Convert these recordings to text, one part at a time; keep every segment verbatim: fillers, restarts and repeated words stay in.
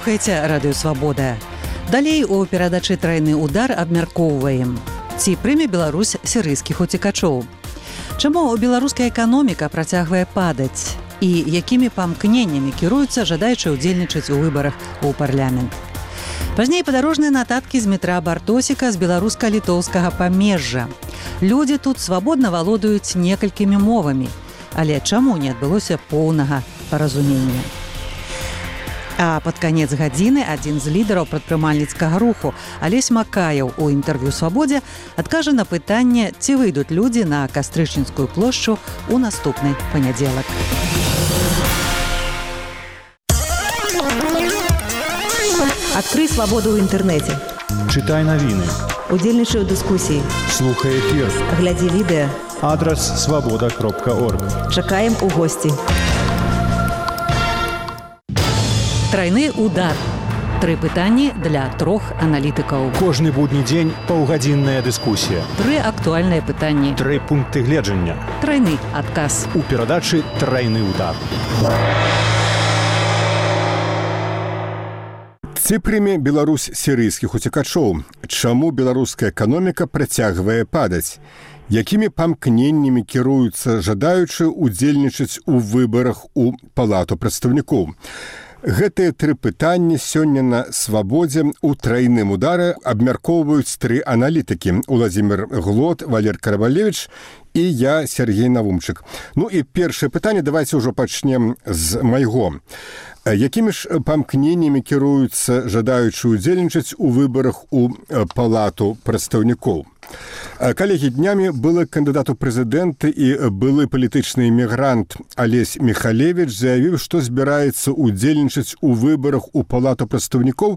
слухаеце Радыё Свабода. Далей у перадачы «Трайны удар» абмяркоўваем. Ці прыме Беларусь сірыйскіх уцекачоў? Чаму беларуская эканоміка працягвае падаць? І якімі памкненнямі кіруюцца жадаючы ўдзельнічаць у выбарах у парламент? Пазней падарожныя нататкі з метра Бартосіка з беларуска-літоўскага памежжа. Людзі тут свабодна валодаюць некалькімі мовамі. Але чаму не адбылося поўнага паразумення? А пад канец гадзіны адзін з лідараў прадпрымальніцкага руху Алесь Макаеў у інтэрв'ю «Свабодзе» адкажа на пытанне, ці выйдуць людзі на Кастрычніцкую плошчу ў наступны панядзелак. Адкрый свабоду ў інтэрнэце. Чытай навіны. Удзельнічай у дыскусіі. Слухай эфір. Глядзі відэа. Адрас свабода кропка орг. Чакаем у госці. Трайны удар. Тры пытанні для трох аналітыкаў. Кожны будні дзень паўгадзінная дыскусія. Тры актуальныя пытанні. Тры пункты гледжання. Трайны адказ. У перадачы «Трайны удар». Ці прыме Беларусь сірыйскіх уцекачоў? Чаму беларуская эканоміка працягвае падаць? Якімі памкненнямі кіруюцца жадаючы ўдзельнічаць у выбарах у Палату прадстаўнікоў? Гэтыя тры пытанні сёння на «Свабодзе» у «Трайным ударе» абмяркоўваюць тры аналітыкі: Уладзімір Глот, Валер Каравалевіч і я, Сергей Навумчык. Ну і першае пытанне давайце ўжо пачнем з майго. Якімі ж памкненнямі кіруюцца жадаючы ўдзельнічаць у выбарах у Палату прадстаўнікоў? Калегі, днямі былы кандыдат у прэзідэнты і былы палітычны эмігрант Алесь Михалевіч заявіў, што збіраецца ўдзельнічаць у выбарах у Палату прадстаўнікоў,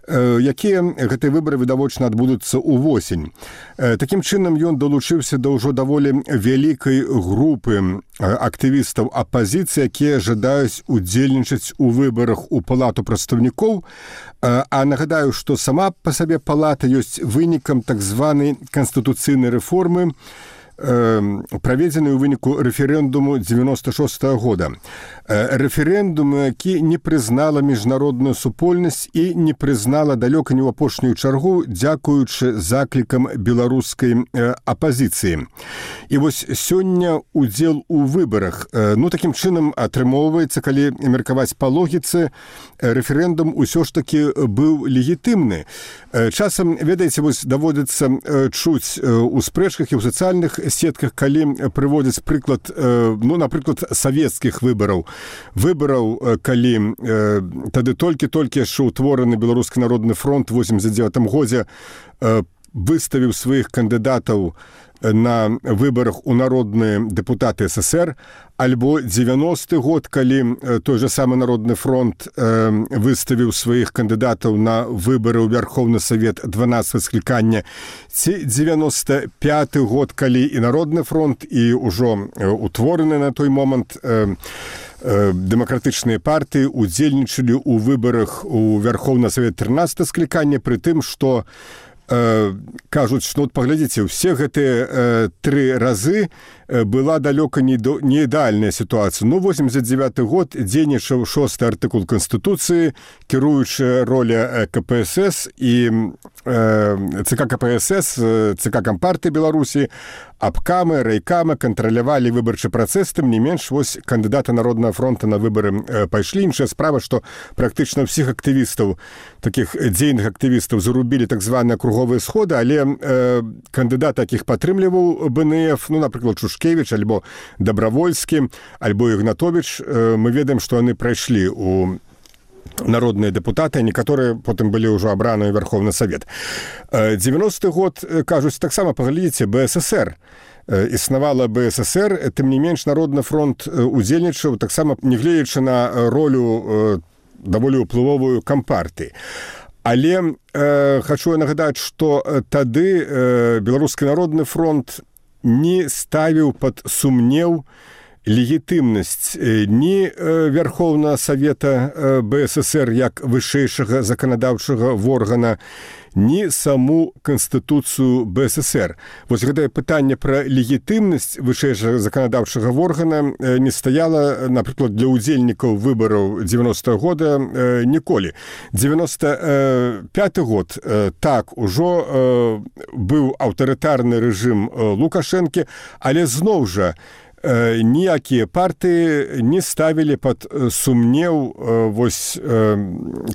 якія гэтыя выбары відавочна адбудуцца ўвосень. Такім чынам, ён далучыўся да ўжо даволі вялікай групы актывістаў апазіцыі, якія жадаюць удзельнічаць у выбарах у Палату прадстаўнікоў. А нагадаю, што сама па сабе палата ёсць вынікам так званай канстытуцыйнай рэформы, праведзены ў выніку рэферэндуму дзевяноста шостага года. Рэферэндум, які не прызнала міжнародную супольнасць і не прызнала далёка не ў апошнюю чаргу, дзякуючы заклікам беларускай апазіцыі. І вось сёння удзел у выбарах. Ну, такім чынам атрымоўваецца, калі меркаваць па логіцы, рэферэндум усё ж такі быў легітымны. Часам, ведаеце, вось даводзіцца чуць у спрэчках і ў сацыяльных сетках, калі прыводзяць прыклад, ну, напрыклад, савецкіх выбараў. Выбараў, калі тады толькі-толькі яшчэ ўтвораны Беларускі народны фронт у восемьдесят девятым годзе выставіў сваіх кандыдатаў на выбарах у народныя дэпутаты СССР, альбо девяносты год, калі той же самы Народны фронт э, выставіў сваіх кандыдатаў на выбары ў Вярхоўны Савет дванаццатага склікання, ці девяносто пяты год, калі і Народны фронт, і ўжо утвораны на той момант э, э, дэмакратычныя партыі удзельнічалі ў выбарах у Вярхоўны Савет трынаццатага склікання, пры тым, што Э, кажуць, што, паглядзіце, усе гэтыя э, тры разы э, была далёка не, до, не ідэальная сітуацыя. Ну, восемьдесят девяты год дзейнічаў шосты артыкул Канстытуцыі, кіруючая роля ка пэ эс эс і э, ЦК ка пэ эс эс, ЦК Кампартыі Беларусі, абкамы, райкамы кантралявалі выбарчы працэс, тым не менш, вось кандыдаты Народнага фронта на выбары э, пайшлі. Іншая справа, што практычна ўсіх актывістаў, такіх дзейных актывістаў, зарубілі так званыя круговыя сходы, але э, кандыдат, якіх падтрымліваў бэ эн эф, ну, напрыклад, Шушкевіч, альбо Дабравольскі, альбо Ігнатовіч, э, мы ведаем, што яны прайшлі у народныя дэпутаты, некаторыя потым былі ўжо абраныя ў Вярхоўны Савет. девяносты год, кажуць, таксама, паглядзіце, бэ эс эс эр. Існавала бэ эс эс эр, тым не менш, Народны фронт удзельнічаў, таксама не гледзячы на ролю даволі ўплывовую Кампартыі. Але э, хачу нагадаць, што тады э, Беларускі народны фронт не ставіў пад сумнеў легітымнасць ні Верховнага Савета БССР як вышэйшага заканадаўчага органа, ні саму Канстытуцыю БССР. Вось гэтае пытанне пра легітымнасць вышэйшага заканадаўчага органа не стаяла, напрыклад, для удзельнікаў выбараў дзевяностага года ніколі. девяносто пятый год, так, ужо быў аўтарытарны рэжым Лукашэнкі, але зноў жа ніякія партыі не ставілі пад сумнеў вось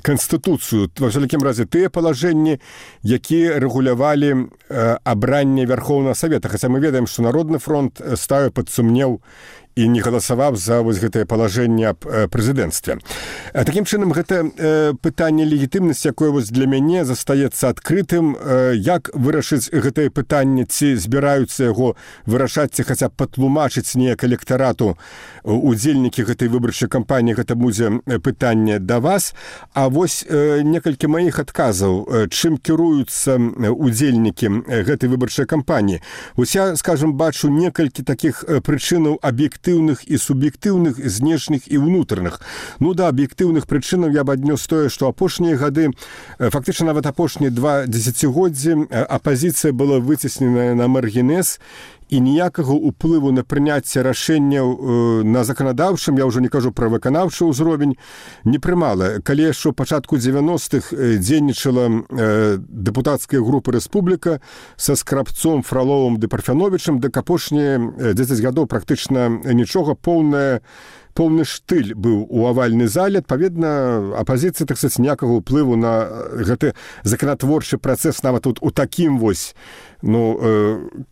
Канстытуцыю, ва ўсякім разе тыя палажэнні, якія рэгулявалі абранне Верховнага Савета. Хаця мы ведаем, што Народны фронт ставіў пад сумнеў і не галасаваў за вось гэтае палажэнне аб прэзідэнцтве. Такім чынам, гэта пытанне легітымнасці, якое вось для мяне застаецца адкрытым, як вырашыць гэтае пытанне, ці збіраюцца яго вырашаць, ці хаця б патлумачыць неяк электарату удзельнікі гэтай выбарчай кампаніі, гэта будзе пытанне да вас. А вось некалькі маіх адказаў, чым кіруюцца удзельнікі гэтай выбарчай кампаніі. Вось я, скажам, бачу некалькі такіх прычынаў аб'ектыўных і суб'ектыўных, знешніх і ўнутраных. Ну да, аб'ектыўных прычынаў я б аднёс тое, што апошнія гады, фактычна нават апошнія два дзесяцігоддзі, апазіцыя была выцесненая на маргінез, і ніякага ўплыву на прыняцце рашэнняў на заканадаўчым, я ўжо не кажу пра выканаўчы ўзровень, не прымала. Калі яшчэ ў пачатку дзевяностых дзейнічала дэпутацкая група «Рэспубліка» са Скрабцом, Фроловым ды Парфяновічым, дык апошнія дзесяць гадоў практычна нічога, поўная поўны штыль быў у авальнай зале. Адпаведна, апазіцыя, так сказаць, ніякага ўплыву на гэты заканатворчы працэс нават тут у такім вось ну,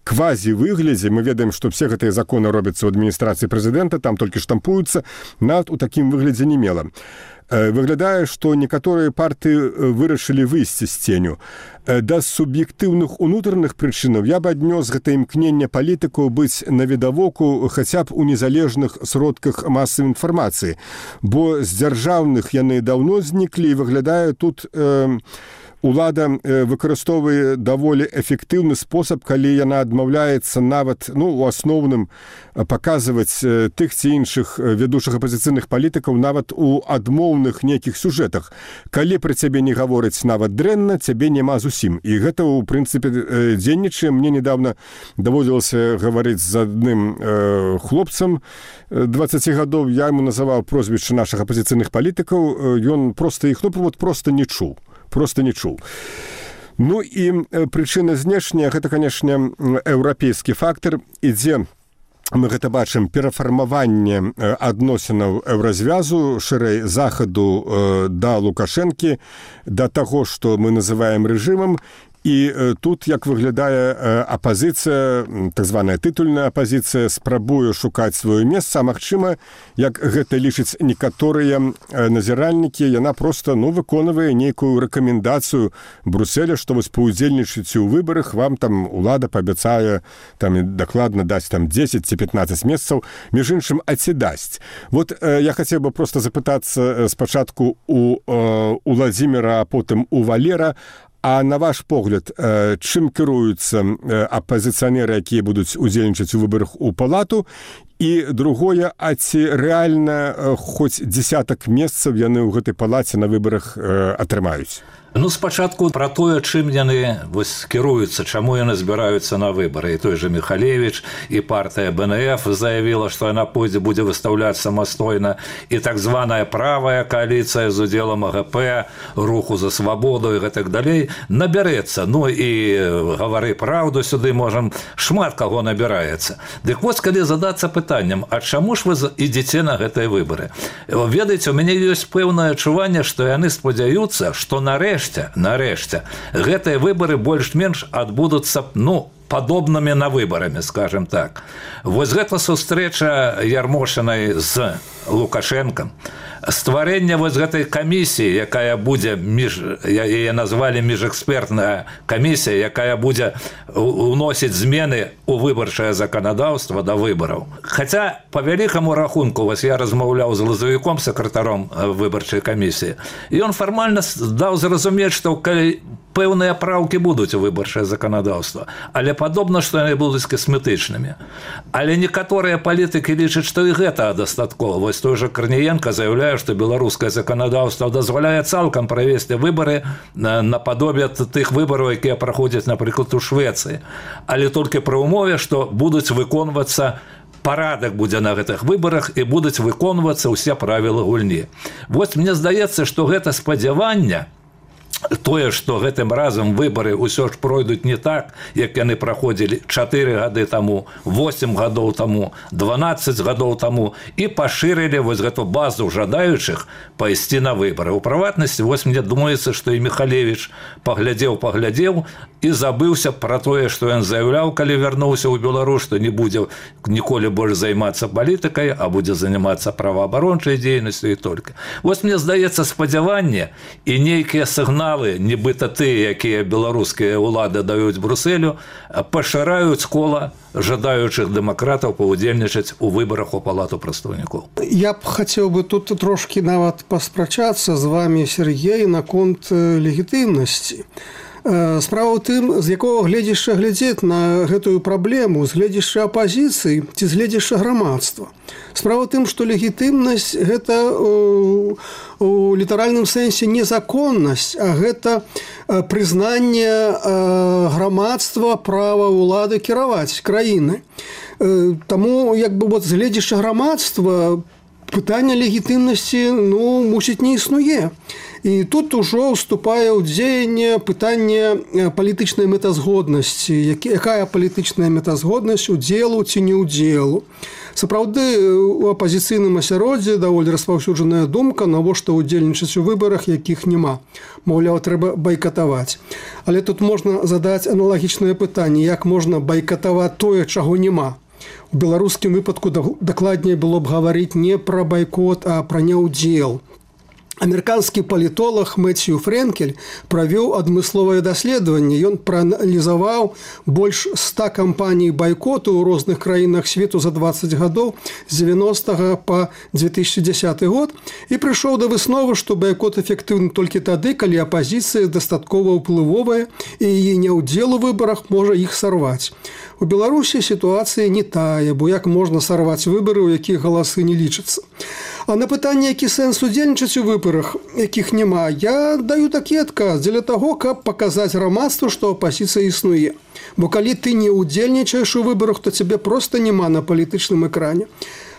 квазі-выглядзе. Мы ведаем, што все гэтыя законы робяцца ў адміністрацыі прэзідэнта, там толькі штампуюцца, нават у такім выглядзе не мела. Выглядае, што некаторыя партыі вырашылі выйсці з ценю. Да суб'ектыўных унутраных прычынаў я б аднёс гэта імкненне палітыкаў быць навідавоку хаця б у незалежных сродках масавай інфармацыі, бо з дзяржаўных яны даўно зніклі, і выглядае тут э, улада выкарыстоўвае даволі эфектыўны спосаб, калі яна адмаўляецца нават, ну, у асноўным паказваць тых ці іншых вядучых апазіцыйных палітыкаў нават у адмоўных нейкіх сюжэтах. Калі пра цябе не гавораць нават дрэнна, цябе няма зусім. І гэта, у прынцыпе, дзейнічае. Мне недавно даводзілася гаварыць з адным э, хлопцам дваццаці гадоў. Я яму называў прозвішчы нашых апазіцыйных палітыкаў. Ён проста іх, ну, вот, проста не чуў. Просто не чуў. Ну і прычына знешняя, гэта, канешне, еўрапейскі фактор, ідзе, мы гэта бачым, перафармаванне адносінаў еўразвязу, шырэй захаду да Лукашэнкі, да таго, што мы называем рэжымам. І тут, як выглядае апазіцыя, так званая тытульная апазіцыя, спрабуе шукаць сваё месца, а магчыма, як гэта лічаць некаторыя назіральнікі, яна проста, ну, выконвае нейкую рэкамендацыю Брюсселя, што вось паўдзельнічаеце ў выбарах, вам там улада паабяцае там дакладна даць там дзесяць ці пятнаццаць месцаў, між іншым, а ці дасць. Вот я хацеў бы проста запытацца спачатку у Уладзіміра, а потым у Валера, а на ваш погляд, чым кіруюцца апазіцыянеры, якія будуць удзельнічаць у выбарах у палату? І другое, а ці рэальна хоць дзесятак месцаў яны ў гэтай палаце на выбарах атрымаюць? Ну, спачатку пра тое, чым яны вось кіруюцца, чаму яны збіраюцца на выбары. І той же Михалевич, і партыя Бэ Эн Эф заявіла, што яна пойдзе будзе выстаўляць самастойна, і так званая правая коаліцыя з удзелам А Гэ Пэ, руху за свабоду і гэтак далей набярэцца. Ну і гавары праўду сюды можам, шмат каго набіраецца. Дык вось, калі задацца пытаннем, а чаму ж вы ідзеце на гэтыя выбары? Ведаеце, у мяне ёсць пэўнае адчуванне, што яны спадзяюцца, што нарэшце Нарэшце, гэтыя выбары больш-менш адбудуцца, ну, падобнымі на выбарамі, скажем так. Вось гэта сустрэча Ярмошынай з Лукашэнкам, стварэнне вось гэтай камісіі, якая будзе між, яе назвалі міжэкспертная камісія, якая будзе уносіць змены ў выбарчае заканадаўства да выбараў. Хаця по вялікаму рахунку, вось я размаўляў з Лазавіком, сакратаром выбарчай камісіі, і ён фармальна даў зразумець, што калі пэўныя праўкі будуць у выбарчае заканадаўства, але падобна, што яны будуць касметычнымі. Але некаторыя палітыкі лічаць, што і гэта дастаткова. Вось той жа Карніенка заяўляе, што беларускае заканадаўства дазваляе цалкам правесці выбары нападобе тых выбараў, якія праходзяць, напрыклад, у Швецыі. Але толькі пры ўмове, што будуць выконвацца парадак будзе на гэтых выбарах і будуць выконвацца ўсе правілы гульні. Вось мне здаецца, што гэта спадзяванне, тое, што гэтым разам выбары ўсё ж пройдуць не так, як яны праходзілі чатыры гады таму, восем гадоў таму, дванаццаць гадоў таму, і пашырылі вось гэту базу жадаючых пайсці на выбары. У прыватнасці, вось мне думаецца, што і Михалевич паглядзеў, паглядзеў і забыўся пра тое, што ён заяўляў, калі вярнуўся ў Беларусь, што не будзе ніколі больш займацца палітыкай, а будзе займацца праваабарончай дзейнасцю і толькі. Вось мне здаецца, спадзяванне і нейкія сігналы, нібыта тыя, якія беларускія ўлады даюць Брусэлю, пашыраюць кола жадаючых дэмакратаў паўдзельнічаць у выбарах у палату прадстаўнікоў. Я б хацеў бы тут трошкі нават паспрачацца з вами, Сергей, наконт легітымнасці. Справа ў тым, з якога гледзяшча глядзець на гэтую праблему, з гледзяшча апазіцыі ці з гледзяшча грамадства. Справа ў тым, што легітымнасць – гэта у літаральным сэнсе не законнасць, а гэта прызнанне грамадства права ўлады кіраваць краінай. Таму, як бы, вот, з гледзяшча грамадства пытанне легітымнасці, ну, мусіць, не існуе. І тут ужо ўступае ў дзеянне пытанне палітычнай мэтазгоднасці. Якая палітычная мэтазгоднасць удзелу ці не ўдзелу. Сапраўды, у апазіцыйным асяроддзі даволі распаўсюджаная думка, навошта ўдзельнічаць у выбарах, якіх няма. Маўляў, трэба байкатаваць. Але тут можна задаць аналагічнае пытанне, як можна байкатаваць тое, чаго няма. У беларускім выпадку дакладней было б гаварыць не пра байкот, а пра няўдзел. Амерыканскі палітолог Мэтью Фрэнкель правёў адмысловае даследаванне. Ён прааналізаваў больш ста кампаній байкоту ў розных краінах свету за дваццаць гадоў з дзевяностага па две тысячи дзесяты год і прыйшоў да высновы, што байкот эфектыўны толькі тады, калі апазіцыя дастаткова ўплывовая і яе няўдзел у выбарах можа іх сарваць. У Беларусі сітуацыя не тая, бо як можна сарваць выбары, у якіх галасы не лічацца. А на пытанне, які сэнс удзельнічаць у выбарах, якіх няма, я даю такі адказ дзеля таго, каб паказаць грамадству, што апазіцыя існуе. Бо калі ты не удзельнічаеш у выбарах, то цябе проста няма на палітычным экране.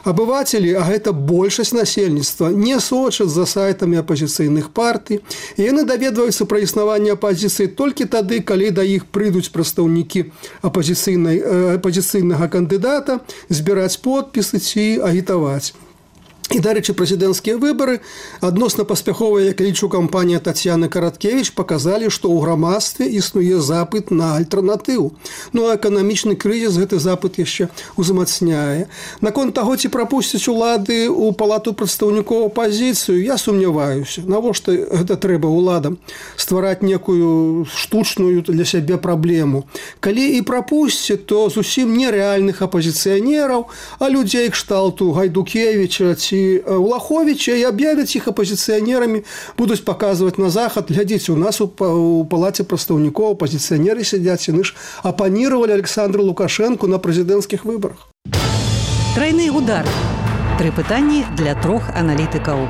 Абывацелі, а гэта большасць насельніцтва, не сочаць за сайтамі апазіцыйных партый, і яны даведваюцца пра існаванне апазіцыі толькі тады, калі да іх прыйдуць прадстаўнікі апазіцыйнага кандыдата збіраць подпісы ці агітаваць. І, дарэчы, прэзідэнцкія выбары адносна паспяховая, як лічу, кампанія Тацьяны Караткевіч паказалі, што ў грамадстве існуе запыт на альтэрнатыву. Ну, а эканамічны крызіс гэты запыт яшчэ узмацняе. Наконт таго, ці прапусцяць улады ў палату прадстаўнікоў апазіцыю, я сумняваюся. Навошта гэта трэба уладам? Ствараць некую штучную для сябе праблему. Калі і прапусцяць, то зусім нерэальных апазіцыянераў, а людзей кшталту Гайдукевіча ці Улаховича і аб'явяць іх апазіцыянерамі, будуць паказваць на захад. Глядзіце, у нас у палаце прадстаўнікоў апазіцыянеры сядзяць, яны ж апанировали Александру Лукашенку на прэзідэнцкіх выбарах. Трайны удар. Тры пытанні для трох аналітыкаў.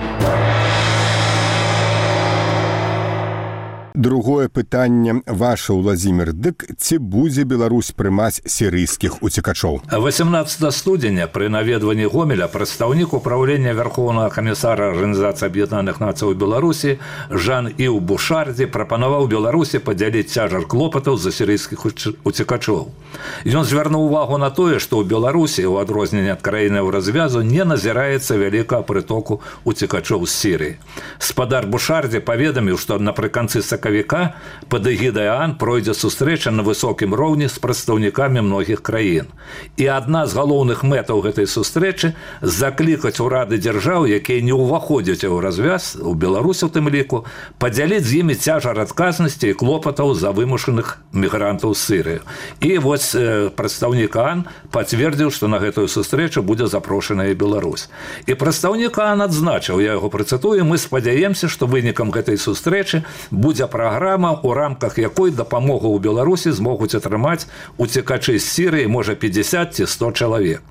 Другое пытанне ваше, Владзімір. Дык ці будзе Беларусь прымаць сірыйскіх уцекачоў? восемнадцатого студзеня пры наведванні Гомеля прадстаўнік управлення Верховнага камісара Арганізацыі Аб'яднаных Нацый у Беларусі Жан-Іў Бушардзі прапанаваў Беларусі падзяліць цяжар клопатаў за сірыйскіх уцекачоў. Ён звярнуў увагу на тое, што ў Беларусі, у адрозненне ад краіны ў развязу, не назіраецца вялікага прытоку уцекачоў з Сірыі. Спадар Бушардзі паведаміў, што напрыканцы сакавіка сакавіка пад эгідай ААН пройдзе сустрэча на высокім роўні з прадстаўнікамі многіх краін. І адна з галоўных мэтаў гэтай сустрэчы – заклікаць урады дзяржаў, якія не ўваходзяць у развяз, у Беларусі у тым ліку, падзяліць з імі цяжар адказнасці і клопатаў за вымушаных мігрантаў з Сірыі. І вось прадстаўнік ААН пацвердзіў, што на гэтую сустрэчу будзе запрошаная Беларусь. І прадстаўнік ААН адзначыў, я яго працытую, мы спадзяемся, што вынікам гэтай сустрэчы будзе праграма, у рамках якой дапамогу ў Беларусі змогуць атрымаць уцекачы з Сірыі, можа, пятьдесят ці сто чалавек.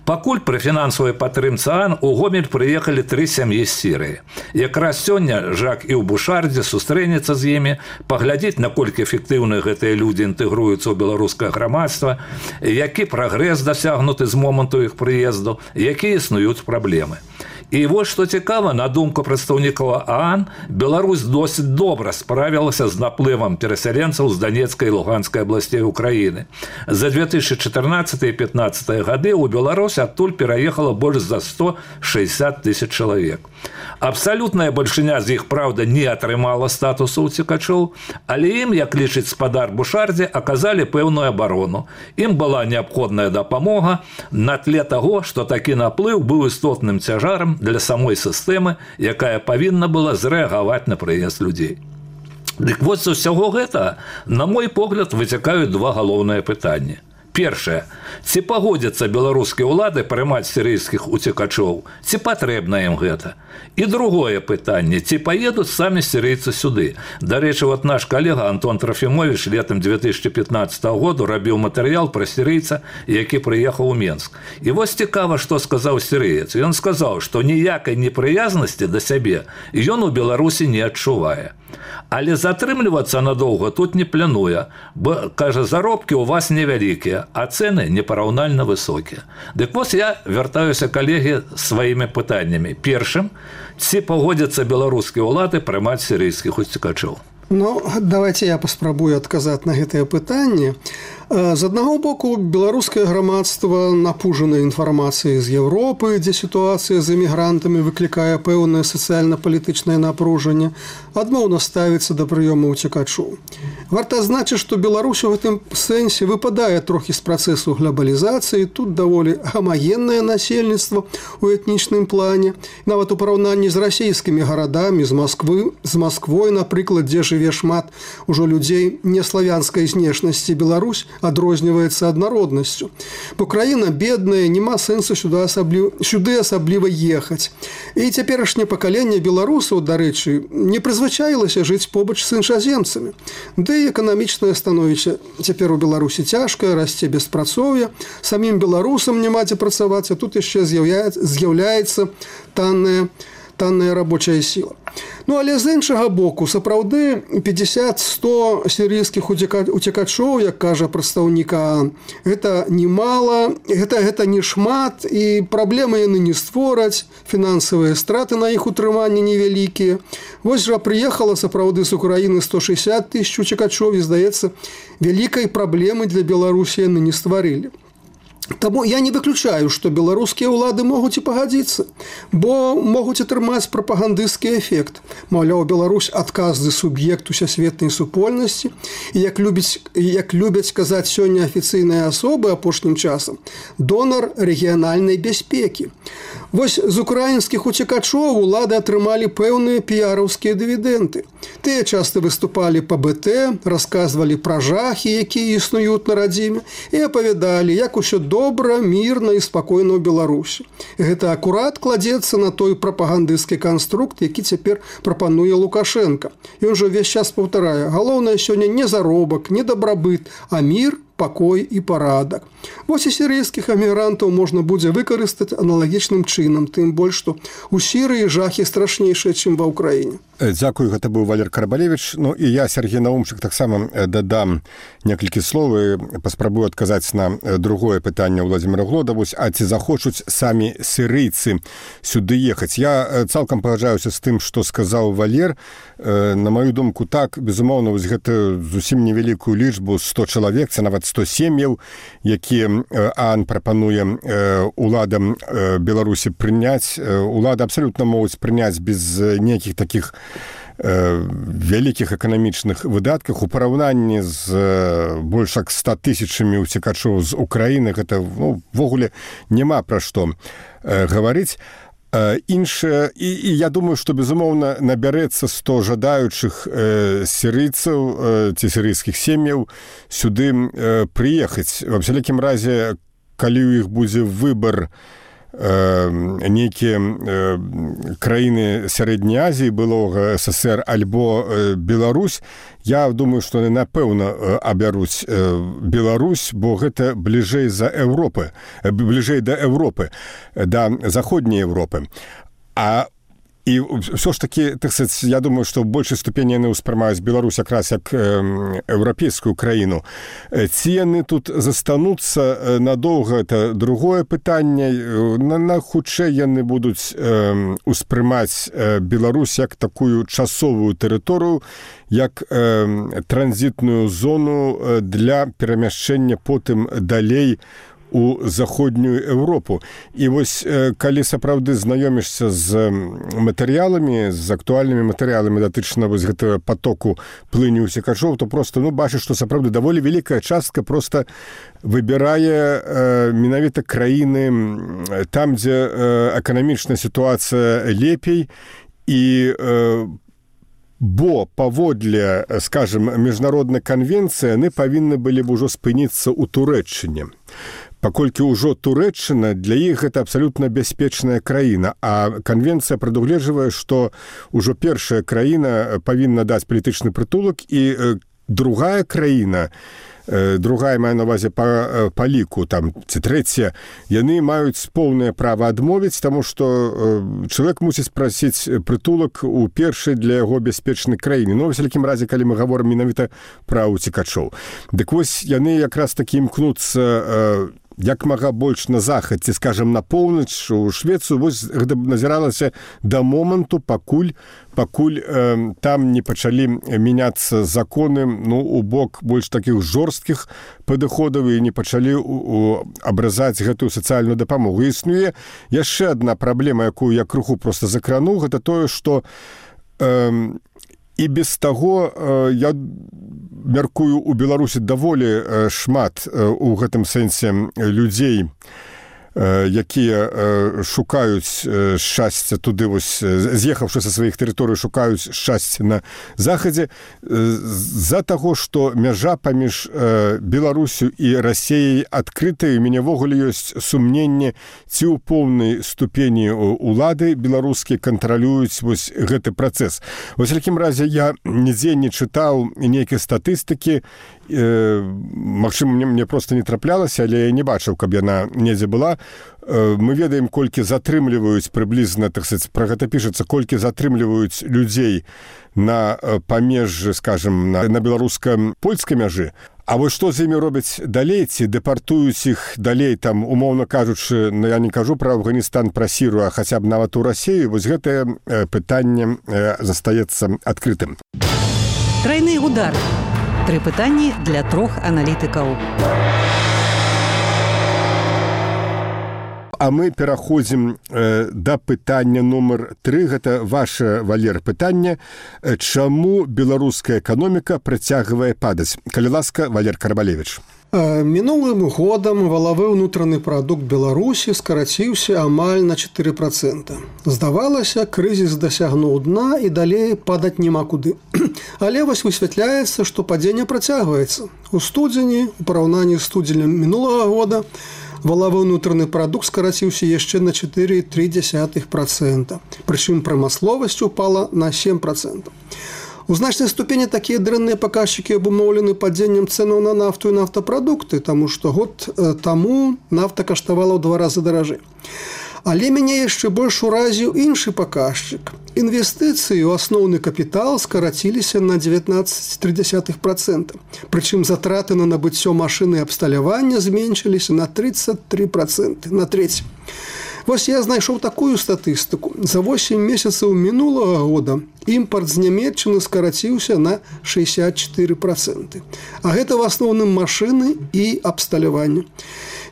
Пакуль пры фінансавай падтрымцы ААН у Гомель прыехалі тры сям'і з Сірыі. Якраз сёння Жак і ў Бушардзе сустрэнецца з імі, паглядзець, наколькі эфектыўна гэтыя людзі інтэгруюцца ў беларускае грамадства, які прагрэс дасягнуты з моманту іх прыезду, якія існуюць праблемы. І вось што цікава, на думку прадстаўнікаў ААН, Беларусь досыць добра справілася з наплывам перасяленцаў з Донецкай і Луганскай абласцей Украіны. За две тысячи чатырнаццаты і пятнаццаты гады ў Беларусь адтуль пераехала больш за сто шестьдесят тысяч чалавек. Абсалютная бальшыня з іх, праўда, не атрымала статусу ўцекачоў, але ім, як лічыць спадар Бушардзе, аказалі пэўную абарону. Ім была неабходная дапамога на тле таго, што такі наплыў быў істотным цяжарам для самой сістэмы, якая павінна была зрэагаваць на прыезд людзей. Дык вось з усяго гэта, на мой погляд, выцякаюць два галоўныя пытанні. Першае, ці пагодзяцца беларускія ўлады прымаць сірыйскіх уцекачоў, ці патрэбна ім гэта? І другое пытанне, ці паедуць самі сірыйцы сюды? Дарэчы, вот наш калега Антон Трофімович летом две тысячи пятнадцатого году рабіў матэрыял пра сірыйца, які прыехаў у Менск. І вось цікава, што сказаў сірыец. Ён сказаў, што ніякай непрыязнасці да сябе ён у Беларусі не адчувае. Але затрымлівацца надоўга тут не плануе, бо, кажа, заробкі ў вас невялікія, а цэны непараўнальна высокія. Дык вось я вяртаюся, калегі, сваімі пытаннямі. Першым, ці пагодзяцца беларускія ўлады прымаць сірыйскіх уцекачоў? Ну, давайте я паспрабую адказаць на гэтае пытанне. З аднаго боку, беларускае грамадства напужана інфармацыяй з Еўропы, дзе сітуацыя з эмігрантамі выклікае пэўнае сацыяльна-палітычнае напружанне, адмоўна ставіцца да прыёму ўцекачоў. Варта адзначыць, што Беларусь у гэтым сэнсе выпадае трохі з працэсу глобалізацыі, тут даволі гамагеннае насельніцтва ў этнічным плане, нават у параўнанні з расійскімі гарадамі, з Масквы, з Масквой, напрыклад, дзе жыве шмат ужо людзей неславянскай знешнасці. Беларусь адрозніваецца аднароднасцю. Бо краіна бедная, няма сэнсу сюды асабліва, сюды асабліва ехаць. І цяперашняе пакаленне беларусаў, дарэчы, не прызвычаілася жыць побач з іншаземцамі. Ды і эканамічнае становішча цяпер у Беларусі цяжкае, расце беспрацоўе, самім беларусам няма дзе працаваць, а тут яшчэ з'яўляецца, з'яўляецца танная танная рабочая сіла. Ну, але з іншага боку, сапраўды пятьдесят сто сірыйскіх уцекачоў, як кажа прадстаўнік ААН, гэта немало, гэта, гэта не шмат, і праблемы яны не створаць, фінансавыя страты на іх утрыманне невялікія. Вось жа прыехала сапраўды з Украіны сто шестьдесят тысяч уцекачоў, і, здаецца, вялікай праблемы для Беларусі яны не стварылі. Таму я не выключаю, што беларускія ўлады могуць і пагадзіцца, бо могуць атрымаць прапагандысцкі эфект. Маўляў, Беларусь адказны суб'ект усесветнай супольнасці, і як любіць, як любяць казаць сёння афіцыйныя асобы апошнім часам, донар рэгіянальнай бяспекі. Вось з украінскіх уцекачоў улады атрымалі пэўныя піяраўскія дывідэнды. Тыя часта выступалі па бэ тэ, расказвалі пра жахі, якія існуюць на радзіме, і апавядалі, як усё добра, мірна і спакойна ў Беларусі. Гэта акурат кладзецца на той прапагандысцкі канструкт, які цяпер прапануе Лукашенко. Ён жа ўвесь час паўтарае: галоўнае сёння не заробак, не дабрабыт, а мір, пакой і парадак. Вось і сірыйскіх эмігрантаў можна будзе выкарыстаць аналагічным чынам, тым больш, што ў Сірыі жахі страшнейшыя, чым ва ўкраіне. Дзякую, гэта быў Валер Карабалевіч. Ну і я, Сергей Наумчык, таксама дадам некалькі слоў і паспрабую адказаць на другое пытанне Владзіміра Глода. Вось, а ці захочуць самі сірыйцы сюды ехаць? Я цалкам пагаджаюся з тым, што сказаў Валер. На маю думку, так, безумоўна, вось гэта зусім невялікую лічбу, сто чалавек, це нават сто сем'яў, якія ААН прапануе уладам Беларусі прыняць. Улады абсалютна могуць прыняць без нейкіх такіх вялікіх эканамічных выдатках у параўнанні з больш як ста тысячамі уцекачоў з Украіны. Гэта ну, ввогуле няма пра што гаварыць. Іншае, і, і я думаю, што, безумоўна, набярэцца сто жадаючых э, сірыйцаў э, ці сірыйскіх сем'яў сюды э, прыехаць. Ва всякім разе, калі ў іх будзе выбар нейкія краіны сярэдняй Азіі, былога СССР альбо Беларусь, я думаю, што яны, напэўна, абяруць Беларусь, бо гэта бліжэй за Еўропы, бліжэй да Еўропы, да заходняй Еўропы. А і ўсё ж такі, так сказаць, я думаю, што ў большай ступені яны ўспрымаюць Беларусь якраз як еўрапейскую краіну. Ці яны тут застануцца надоўга, это другое пытанне. На, на хутчэй яны будуць э, успрымаць Беларусь як такую часовую тэрыторыю, як э, транзітную зону для перамяшчэння потым далей у заходнюю Еўропу. І вось, калі сапраўды знаёмішся з матэрыяламі, з актуальнымі матэрыяламі датычна вось гэтага потоку плыні ўцекачоў, то проста, ну, бачыш, што сапраўды даволі вялікая частка проста выбірае э, менавіта краіны там, дзе э, эканамічная сітуацыя лепей, і э, бо паводле, скажем, міжнароднай канвенцыі яны павінны былі б ужо спыніцца ў Турэччыне. Паколькі ўжо Турэччына для іх гэта абсалютна бяспечная краіна, а канвенцыя прадугледжвае, што ўжо першая краіна павінна даць палітычны прытулак, і другая краіна, другая, маю на ўвазе па, па ліку, там, ці трэця, яны маюць поўнае права адмовіць, таму што чалавек мусіць прасіць прытулак у першай для яго бяспечнай краіне. Ну, ва всякім разе, калі мы гаворым менавіта пра уцекачоў. Дык вось яны якраз такі імкнуцца як мага больш на захад, ці, скажем, на поўнач, у Швецыю. Вось гэта назіралася да моманту, пакуль, пакуль э, там не пачалі мяняцца законы, ну, у бок больш такіх жорсткіх падыходаў, і не пачалі у, у, абразаць гэтую сацыяльную дапамогу. Існуе яшчэ адна праблема, якую я крыху проста закрану, гэта тое, што э, і без таго, э, я мяркую, у Беларусі даволі э, шмат э, у гэтым сэнсе людзей, э, якія э, шукаюць э, шчасця туды, вось, з'ехаўшы са сваіх тэрыторый, шукаюць шчасця на захадзе, э, з-за таго, што мяжа паміж э, Беларусю і Расіяй адкрытая. У мяне ввогуле ёсць сумненне, ці ў поўнай ступені улады беларускія кантралююць вось гэты працэс. Вось, в такім разе, я нідзе не чытаў нейкай статыстыкі, э, магчыма, мне, мне проста не траплялася, але я не бачыў, каб яна недзе была. Э, мы ведаем, колькі затрымліваюць прыблізна, так сказаць, пра гэта пішацца, колькі затрымліваюць людзей на памежжы, скажем, на, на беларуска-польскай мяжы. А вось што з імі робяць далей, ці дэпартуюць іх далей, там, умоўна кажучы, ну, я не кажу пра Афганістан, пра Сірыю, а хаця б нават у Расію, вось гэтае э, пытанне э, застаецца адкрытым. Трайны удар. Тры пытанні для трох аналітыкаў. А мы пераходзім э, да пытання нумар тры. Гэта ваше, Валер, пытанне. Чаму беларуская эканоміка працягвае падаць? Калі ласка, Валер Карбалевіч. Мінулым годам валавы ўнутраны прадукт Беларусі скараціўся амаль на чатыры працэнты. Здавалася, крызіс дасягнуў дна і далей падаць няма куды. Але вось высвятляецца, што падзенне працягваецца. У студзені, у параўнанні з студзенем мінулага года, валавы ўнутраны прадукт скараціўся яшчэ на чатыры цэлых тры дзесятых працэнта. Прычым прамысловасць упала на сем працэнтаў. У значнай ступені такія дрэнныя паказчыкі абумоўлены падзеннем цэнаў на нафту і нафтапрадукты, таму што год таму нафта каштавала ў два разы даражэй. Але мяне яшчэ больш уразіў іншы паказчык. Інвестыцыі ў асноўны капітал скараціліся на дзевятнаццаць цэлых тры дзесятых працэнта. Прычым затраты на набыццё машын і абсталявання зменшыліся на трыццаць тры працэнты, на трэць. Вось я знайшоў такую статыстыку. За восемь месяцаў мінулага года імпарт з Нямецчыны скараціўся на шестьдесят четыре процента. А гэта в асноўным машыны і абсталяванне.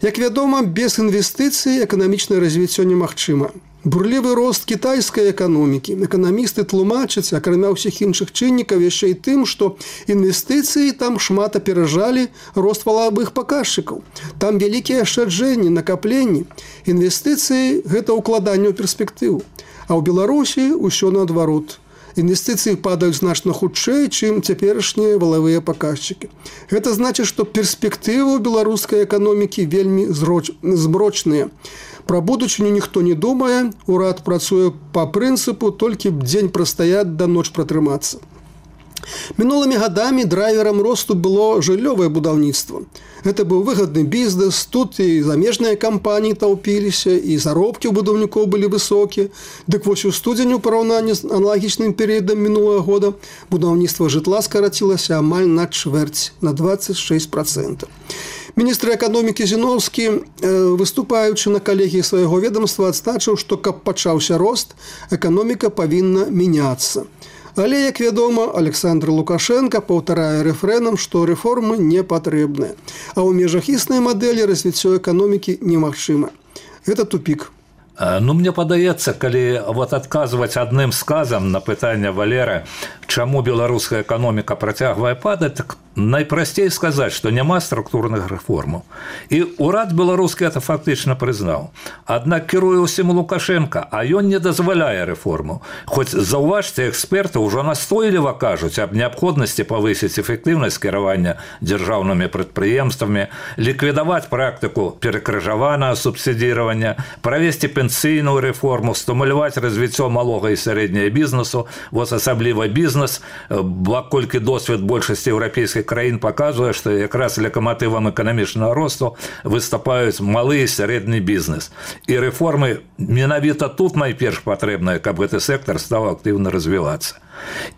Як вядома, без інвестыцый эканамічнае развіццё немагчыма. Бурлівы рост кітайскай эканомікі. Эканамісты тлумачаць, акрамя ўсіх іншых чыннікаў, яшчэ і тым, што інвестыцыі там шмат аперажалі рост валавых паказчыкаў. Там вялікія ашчаджэнні, накапленні. Інвестыцыі – гэта ўкладанне ў перспектыву. А ў Беларусі ўсё наадварот. Інвестыцыі падаюць значна хутчэй, чым цяперашнія валавыя паказчыкі. Гэта значыць, што перспектывы ў беларускай эканомікі вельмі змрочныя. Пра будучыню ніхто не думае, урад працуе па прынцыпу толькі б дзень прастаяць да ноч пратрымацца. Мінулымі гадамі драйверам росту было жыллёвае будаўніцтва. Гэта быў выгадны бізнес, тут і замежныя кампаніі таўпіліся, і заробкі ў будаўнікоў былі высокія. Дык вось у студзені ў параўнанні з аналагічным перыядам мінулага года будаўніцтва жытла скарацілася амаль на чвэрць, на двадцать шесть процентов. Міністр эканомікі Зіновскі, выступаючы на калегіі свайго ведомства, адзначыў, што каб пачаўся рост, эканоміка павінна мяняцца. Але, як вядома, Александр Лукашенко паўтарае рэфрэнам, што рэформы не патрэбныя. А ў межах існай мадэлі развіццё эканомікі немагчыма. Гэта тупік. Ну, мне падаецца, калі вот адказваць адным сказам на пытанне Валера, чаму беларуская эканоміка працягвае падаць, так найпрасцей сказаць, што няма структурных рэформаў. І ўрад беларускі это фактычна прызнаў. Аднак кіруе ўсім Лукашенко, а ён не дазваляе рэформаў. Хоць, заўважце, эксперты ўжо настойліва кажуць аб неабходнасці павысіць эфектыўнасць кіравання дзяржаўнымі прадпрыемствамі, ліквідаваць практыку перакрыжаванага субсідіравання, правесці пенсійную рэформу, стымуляваць развіццё малога і сярэдняга бізнесу, вот асабліва бізнес, паколькі досвед большасці еўрапейскіх краін паказвае, што якраз лакаматывам эканамічнага росту выступаюць малы і сярэдні бізнес. І рэформы менавіта тут найперш патрэбныя, каб гэты сектар стаў актыўна развівацца.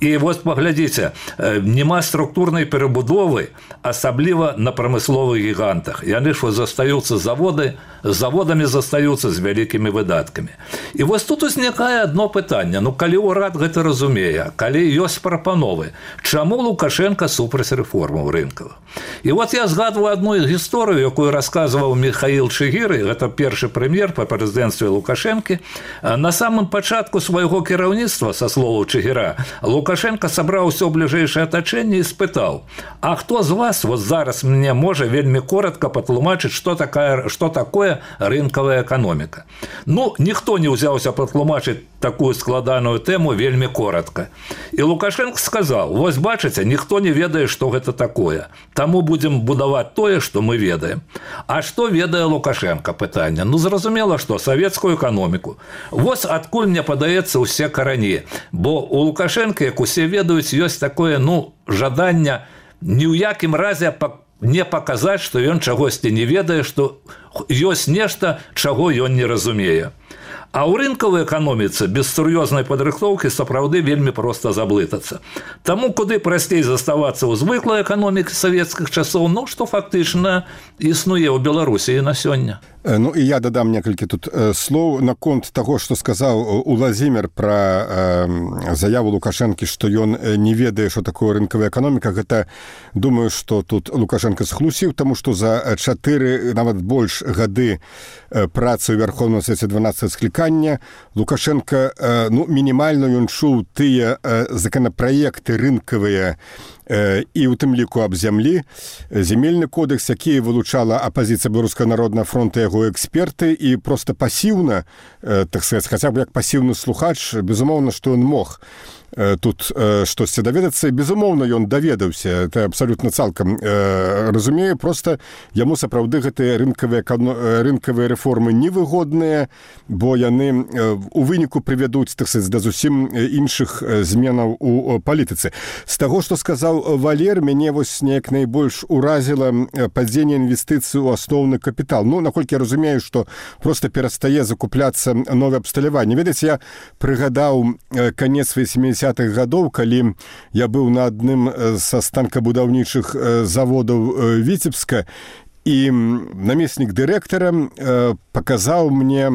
І вось паглядзіце, няма структурнай перабудовы, асабліва на прамысловых гігантах. Яны ж застаюцца заводы, заводамі застаюцца з вялікімі выдаткамі. І вось тут узнікае адно пытанне. Ну, калі ўрад гэта разумее, калі ёсць прапановы, чаму Лукашенко супраць рэформаў рынкавых? І вот я згадваю адну гісторыю, якую расказваў Михаил Чигиры, гэта першы прэм'ер па прэзідэнцтве Лукашэнкі. На самым пачатку свайго кіраўніцтва, са словаў Чигира, Лукашенко сабраў усё бліжэйшае атачэнне і спытаў: а хто з вас вот зараз мне можа вельмі коротка патлумачыць, што такая, што такое рынкавая эканоміка? Ну, ніхто не ўзяўся патлумачыць такую складаную тэму вельмі коротка. І Лукашенко сказаў: вось бачыце, ніхто не ведае, што гэта такое. Таму будзем будаваць тое, што мы ведаем. А што ведае Лукашенко? Пытанне. Ну, зразумела, што савецкую эканоміку. Вось адкуль, мне падаецца, усе карані. Бо у Лукашенко, як усе ведаюць, ёсць такое, ну, жаданне ні ў якім разе не паказаць, што ён чагосьці не ведае, што ёсць нешта, чаго ён не разумее. А ў рынкавай эканоміцы без сур'ёзнай падрыхтоўкі сапраўды вельмі проста заблытацца. Таму куды прасцей заставацца ў звыклай эканомікі савецкіх часоў, ну, што фактычна існуе ў Беларусі і на сёння. Ну і я дадам некалькі тут слоў наконт таго, што сказаў Уладзімір пра э, заяву Лукашэнкі, што ён не ведае, што такое рынкавая эканоміка. Гэта, думаю, што тут Лукашенко схлусіў, таму што за чатыры, нават больш гады працы ў Вярхоўным Свеце дванаццатага склікання Лукашенко, э, ну, мінімальна ён чуў тыя э, законапраекты рынкавыя, і ў тым ліку аб зямлі, земельны кодекс, які вылучала апазіцыя Беларускага народнага фронта, яго эксперты, і проста пасіўна, так сказаць, хаця б як пасіўны слухач, безумоўна, што ён мог тут штосьці даведацца, і безумоўна ён даведаўся, это абсалютна цалкам разумее, проста яму сапраўды гэтыя рынкавыя, рынкавыя рэформы невыгодныя, бо яны у выніку прывядуць, так сказаць, да зусім іншых зменаў у палітыцы. З таго, што сказаў Валер, мяне вось неяк найбольш уразіла падзенне інвестыцый у асноўны капітал. Ну, наколькі я разумею, што проста перастае закупляцца новае абсталяванне. Ведаеце, я прыгадаў канец восьмидесятых гадоў, калі я быў на адным са станкабудаўнічых заводаў Віцебска, і намеснік дырэктара паказаў мне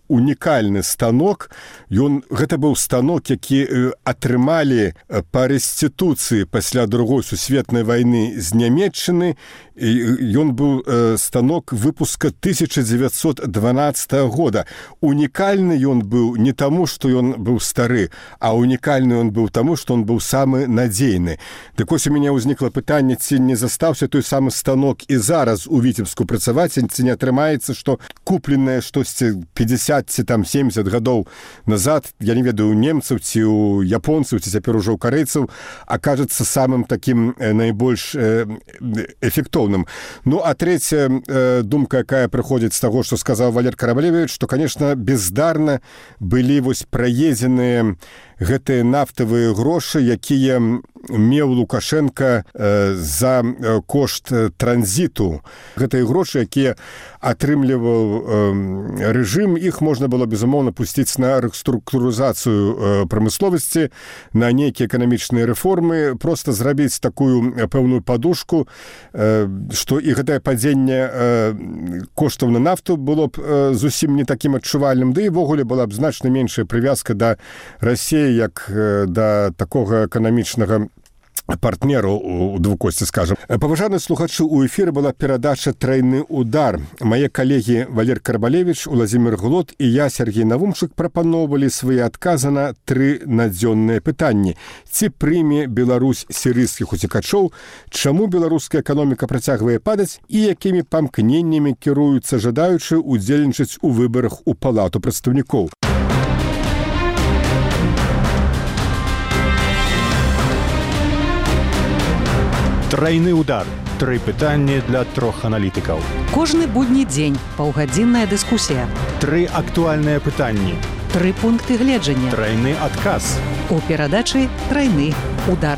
унікальны станок. Ён, гэта быў станок, які атрымалі па рэстытуцыі пасля другой сусветнай вайны з Нямецчыны. Ён быў станок выпуска тысяча девятьсот дванадцатого года. Унікальны ён быў не таму, што ён быў стары, а унікальны ён быў таму, што ён быў самы надзейны. Дык вось у мяне ўзнікла пытанне, ці не застаўся той самы станок і зараз у Віцебску працаваць, ці не атрымаецца, што купленае штосьці пятьдесят ці там семьдесят гадоў назад, я не ведаю, у немцаў ці у японцаў, ці цяпер ужо ў карэйцаў, акажацца самым такім найбольш эфектоўным. Ну, а третья э, думка, якая прыходзіць з таго, што сказаў Валер Карабалевіч, што, конечно, бездарна былі вось праедзеныя гэтыя нафтавыя грошы, якія меў Лукашенко э, за кошт транзіту. Гэтыя грошы, якія атрымліваў э, рэжым, іх можна было, безумоўна, пусціць на рэструктурызацыю э, прамысловасці, на нейкія эканамічныя рэформы, проста зрабіць такую пэўную падушку, э, што і гэтае падзенне э, коштаў на нафту было б э, зусім не такім адчувальным, ды і ввогуле была б значна меншая прывязка да Расіі, як э, да такога эканамічнага партнеру у двукосці, скажем. Паважаны слухачы, у эфіры была перадача «Трайны удар». Мае калегі Валер Карбалевіч, Уладзімір Глот і я, Сергей Навумчык, прапаноўвалі свае адказы на тры надзённыя пытанні. Ці прыме Беларусь сірыйскіх уцекачоў, чаму беларуская эканоміка працягвае падаць і якімі памкненнямі кіруюцца жадаючы удзельнічаць у выбарах у Палату прадстаўнікоў. Трайны удар. Тры пытанні для трох аналітыкаў. Кожны будні дзень паўгадзінная дыскусія. Тры актуальныя пытанні. Тры пункты гледжання. Трайны адказ. У перадачы «Трайны удар».